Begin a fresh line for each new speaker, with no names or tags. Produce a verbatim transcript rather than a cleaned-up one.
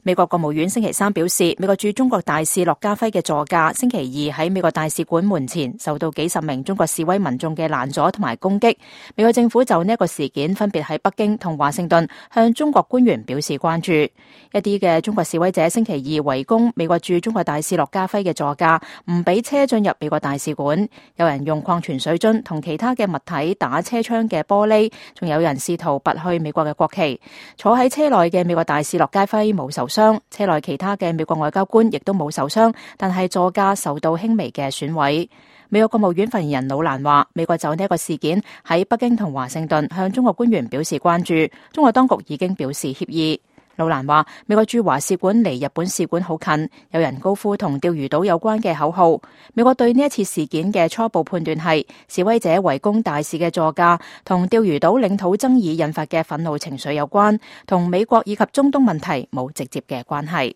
美國國務院星期三表示，美國駐中國大使駱家輝嘅座駕星期二喺美國大使館門前受到幾十名中國示威民眾嘅攔阻同埋攻擊。美國政府就呢一個事件分別喺北京同華盛頓向中國官員表示關注。一啲嘅中國示威者星期二圍攻美國駐中國大使駱家輝嘅座駕，唔俾車進入美國大使館。有人用礦泉水樽同其他嘅物體打車窗嘅玻璃，仲有人試圖拔去美國嘅國旗。坐喺車內嘅美國大使駱家輝冇受傷，車內其他嘅美國外交官亦都冇受傷，但係座駕受到輕微嘅損毀。美國國務院發言人魯蘭話，美國就呢一個事件喺北京同華盛頓向中國官員表示關注，中國當局已經表示歉意。魯蘭話，美國駐華使館離日本使館好近，有人高呼同釣魚島有關嘅口號。美國對呢一次事件嘅初步判斷係，示威者圍攻大使嘅座駕同釣魚島領土爭議引發嘅憤怒情緒有關，同美國以及中東問題冇直接嘅關係。